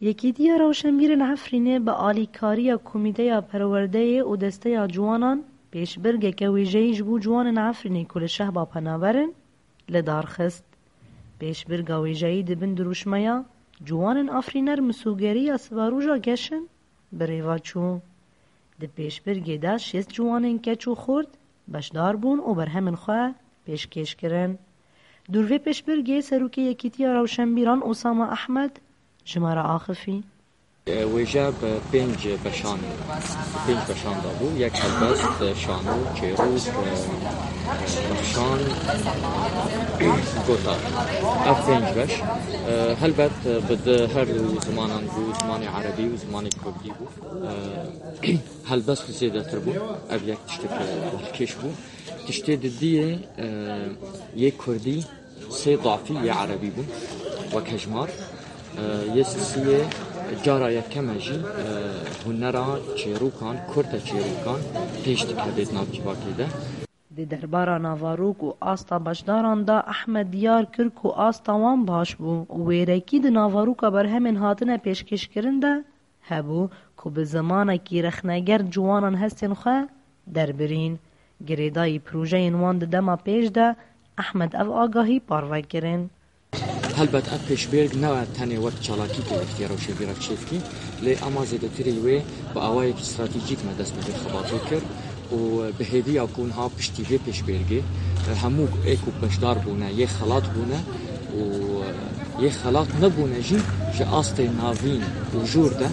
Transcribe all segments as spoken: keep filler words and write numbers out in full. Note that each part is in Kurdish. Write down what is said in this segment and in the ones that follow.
Yekîtiya Rewşenbîrên Efrînê bi alîkariya Komîteya Perwerdeyê û Desteya Ciwanan pêşbirgeke wêjeyî ji bo ciwanên Efrînê ku li Şehba penaber in, li dar xist. Pêşbirga wêjeyî di bin dirûşmeya Ciwanên Afrîner Misûgeriya Sivaroja Geş in bi rêva çû. Di pêşbirgê de şêst ciwanên keç û xort beşdar bûn û berhemên xwe pêşkêş kirin. Dûr vê pêşbirgê Serokê Yekîtiya Rewşenbîran Osama Ehmed ji me re axifî. Wêje bi pênc beşan, pênc beşan de bû. Yek helbest, şano, çêrok, e, nexşan, gotar. Ev pênc beş, e, helbet bi di her du zimanan bû, zimanê erebî û zimanê kurdî bû. E, helbest zêdetir bû. Ev yek tiştek balkêş bû. Tiştê didiyê, e, yê kurdî sê dafî yê erebî bû wek hejmar. E, yê sisiyê cara yekeme jî, e, hunera çêrokan, kurte çêrokan pêş dikeve di nav civakê de. Di derbara navarok û asta beşdaran de Ehmed diyar kir ku asta wan baş bû û wêrekî di navaroka berhemên hatine pêşkêşkirin de hebû ku bi zimanekî rexneger ciwanan hestên xwe derbirîn. Girêdayî projeyên wan di dema pêş de Ehmed ev agahî parve kirin. Helbet ev pêşbêrg ne tenê wek çalakî ku Yekîtiya Rewşenbîran çêdikî, lê ema zêdetirî wê bi awayekî stratejîk me dest bi vê xebatê kir û bi hêviya ku niha piştî vê pêşbêrgê hemû ê ku beşdar bûne, yê xelat bûne û yê xelat nebûne jî ji astê navîn û jor de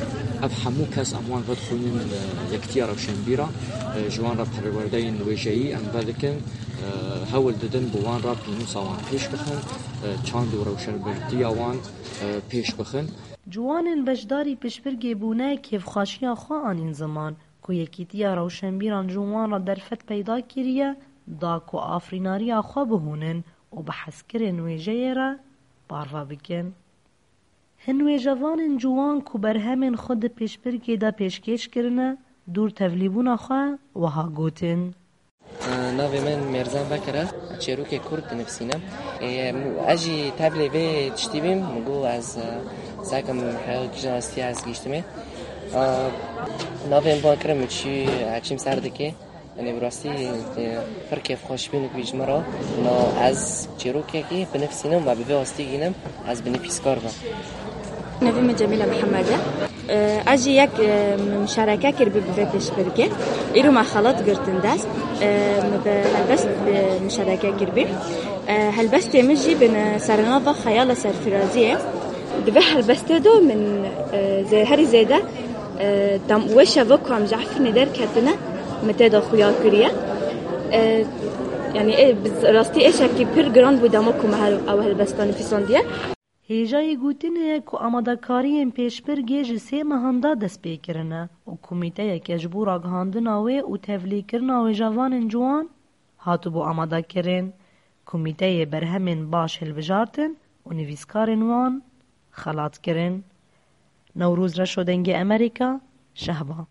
ev hemû kes em wan vedixwînin, e, Yekîtiya Rewşenbîran, e, ji wan re perwerdeyên wêjeyî em vedikin, e, hewl didin bi wan re pênûsa wan pêş bixin, e, çand û rewşenbirtiya wan, e, pêş bixin. Ciwanên beşdarî pişbirgê bûne kêfxweşiya xwe anîn ziman ku Yekîtiya Rewşenbîran ji wan re derfet peyda kiriye, da ku afirînariya xwe bihûnin û bi hezkirin wêjeyê re parve bikin. Hin wêjevanên ciwan ku berhemên xwe di pêşbirgê de pêşkêş kirine, dûr tevlîbûna xwe wiha gotin. Navê min Mêrzan Bekir e. Çêrokê Kurd dinivîsînim. Ê, ez jî tevlê vê tiştî bîm. Min got ez, e, sekim heya kîjan rastî ez gihîştimê. E, navê min van kirin min çî, e, çîm ser dikê. Yanî bi rastî, e, pir kêfxweş bîn ku ji min re. Na ez çîrokekî binivîsînim ve bi vê astî gînim, ez binivîskar bim. Navê min Cemîle Mihemed e. E, ez jî yek, e, muşareke kiribî bi vê pêşbirkê. Îro me xelat girtin dest. E, min bi helbest bi muşareke kiribî. E, helbestê min jî bi ne-, sernava Xeyala Serfiraziyê. Di vê helbestê de min, e, zê-, herî zêde, e, dem wê şeva ku em ji Efrînê derketine, min tê de xuya kiriye. E, yanî, ê, bi rastî êşekî pir giran bû dema ku me hel-, ew helbesta nivîsandiye. Hêjayî gotinê ye ku amadekariyên pêşbirgê ji sê mehan de dest pê kirine û komîteyeke ji bo ragihandina wê û tevlîkirina wêjevanên ciwan hatibû amadekirin. Komîteyê berhemên baş hilbijartin û nivîskarên wan xelat kirin. Newroz Reşo, Dengê Amerîka, Şehba.